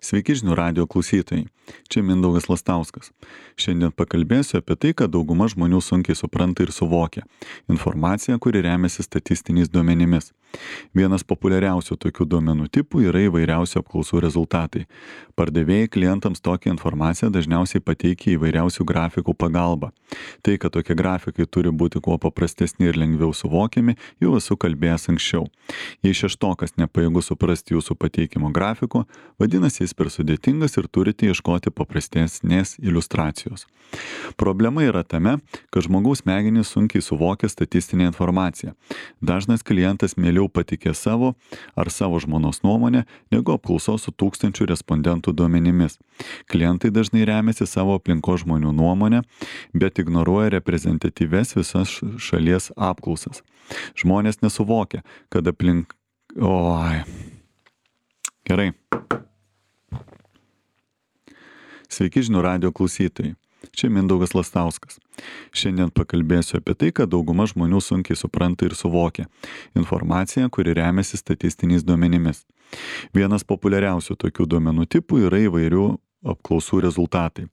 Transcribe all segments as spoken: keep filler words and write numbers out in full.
Sveiki žinių radijo klausytojai. Čia Mindaugas Lastauskas. Šiandien pakalbėsiu apie tai, kad dauguma žmonių sunkiai supranta ir suvokia informaciją, kuri remiasi statistiniais duomenimis. Vienas populiariausių tokių duomenų tipų yra įvairiausių apklausų rezultatai. Pardavėjai klientams tokią informaciją dažniausiai pateikia įvairiausių grafikų pagalba. Tai, kad tokie grafikai turi būti kuo paprastesni ir lengviau suvokiami, jau esu kalbėjęs anksčiau. Jei šeštokas nepajėgus suprasti jūsų pateikimo grafiko, vadinasi jis per sudėtingas ir turite ieškoti paprastesnės iliustracijos. Problema yra tame, kad žmogaus smegenys sunkiai suvokia statistinę informaciją. Dažnas klientas mieliau patikė savo ar savo žmonos nuomonę, negu apklausos su tūkstančių respondentų duomenimis. Klientai dažnai remiasi savo aplinkos žmonių nuomonę, bet ignoruoja reprezentatyves visas šalies apklausas. Žmonės nesuvokia, kad aplink... Oi. Gerai. Sveiki žinių radijo klausytojai. Čia Mindaugas Lastauskas. Šiandien pakalbėsiu apie tai, kad dauguma žmonių sunkiai supranta ir suvokia informaciją, kuri remiasi statistiniais duomenimis. Vienas populiariausių tokių duomenų tipų yra įvairių apklausų rezultatai.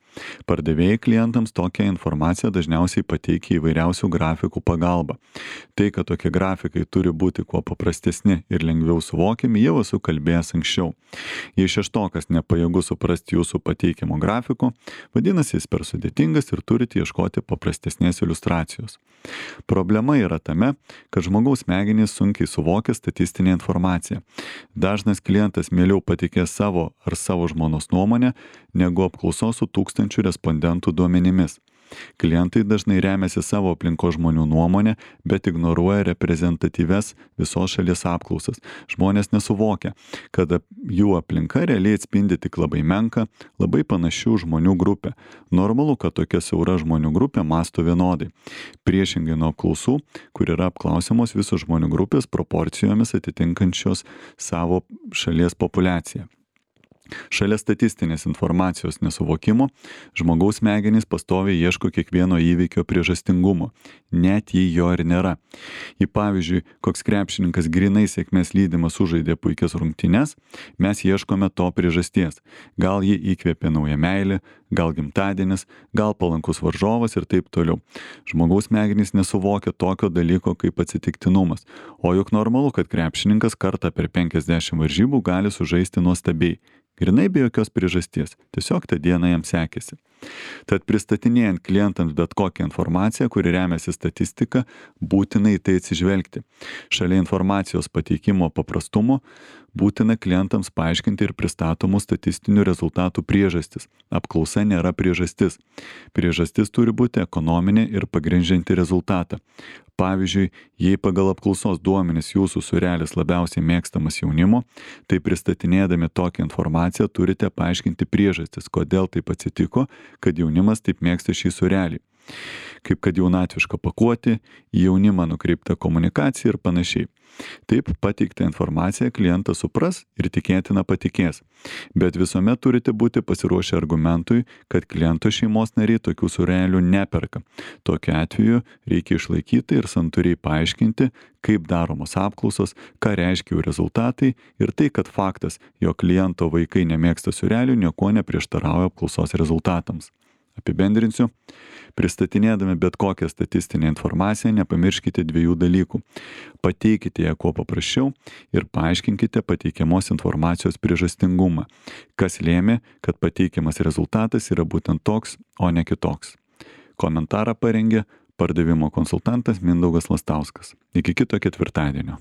Pardavėjai klientams tokią informaciją dažniausiai pateikia įvairiausių grafikų pagalba. Tai, kad tokie grafikai turi būti kuo paprastesni ir lengviau suvokiami, jau esu kalbėjęs anksčiau. Jei šeštokas nepajėgus suprasti jūsų pateikimo grafiko, vadinasi jis per sudėtingas ir turite ieškoti paprastesnės iliustracijos. Problema yra tame, kad žmogaus smegenys sunkiai suvokia statistinę informaciją. Dažnas klientas mieliau patikė savo ar savo žmonos nuomonę, negu apklausos su tūkstančių respondentų duomenimis. Klientai dažnai remiasi savo aplinkos žmonių nuomonę, bet ignoruoja reprezentatyves visos šalies apklausas. Žmonės nesuvokia, kad jų aplinka realiai atspindi tik labai menką, labai panašių žmonių grupę. Normalu, kad tokia siaura žmonių grupė mąsto vienodai. Priešingai nuo apklausų, kur yra apklausiamos visos žmonių grupės proporcijomis atitinkančios savo šalies populiaciją. Šalia statistinės informacijos nesuvokimo, žmogaus smegenys pastoviai ieško kiekvieno įvykio priežastingumo, net jei jo ir nėra. Į pavyzdžiui, koks krepšininkas grinai sėkmės lydimas sužaidė puikias rungtynes, mes ieškome to priežasties. Gal jį įkvėpė nauja meilė, gal gimtadienis, gal palankus varžovas ir taip toliau. Žmogaus smegenys nesuvokia tokio dalyko kaip atsitiktinumas, o juk normalu, kad krepšininkas kartą per penkiasdešimt varžybų gali sužaisti nuostabiai. Grinai be jokios priežasties, tiesiog tą dieną jam sekėsi. Tad pristatinėjant klientams bet kokią informaciją, kuri remiasi statistika, būtina į tai atsižvelgti. Šalia informacijos pateikimo paprastumo, būtina klientams paaiškinti ir pristatomų statistinių rezultatų priežastis. Apklausa nėra priežastis. Priežastis turi būti ekonominė ir pagrindžianti rezultatą. Pavyzdžiui, jei pagal apklausos duomenis jūsų sūrelis labiausiai mėgstamas jaunimo, tai pristatinėdami tokią informaciją turite paaiškinti priežastis, kodėl taip atsitiko, kad jaunimas taip mėgsta šį sūrelį. Kaip kad jaunatviška pakuoti, į jaunimą nukreipta komunikacija ir panašiai. Taip pateiktą informaciją klientas supras ir tikėtina patikės. Bet visuomet turite būti pasiruošę argumentui, kad kliento šeimos nariai tokių sūrelių neperka. Tokiu atveju reikia išlaikyti ir santūriai paaiškinti, kaip daromos apklausos, ką reiškia jų rezultatai ir tai, kad faktas, jog kliento vaikai nemėgsta sūrelių, nieko neprieštarauja apklausos rezultatams. Apibendrinsiu. Pristatinėdami bet kokią statistinę informaciją, nepamirškite dviejų dalykų. Pateikite ją kuo paprasčiau ir paaiškinkite pateikiamos informacijos priežastingumą, kas lėmė, kad pateikiamas rezultatas yra būtent toks, o ne kitoks. Komentarą parengė pardavimo konsultantas Mindaugas Lastauskas. Iki kito ketvirtadienio.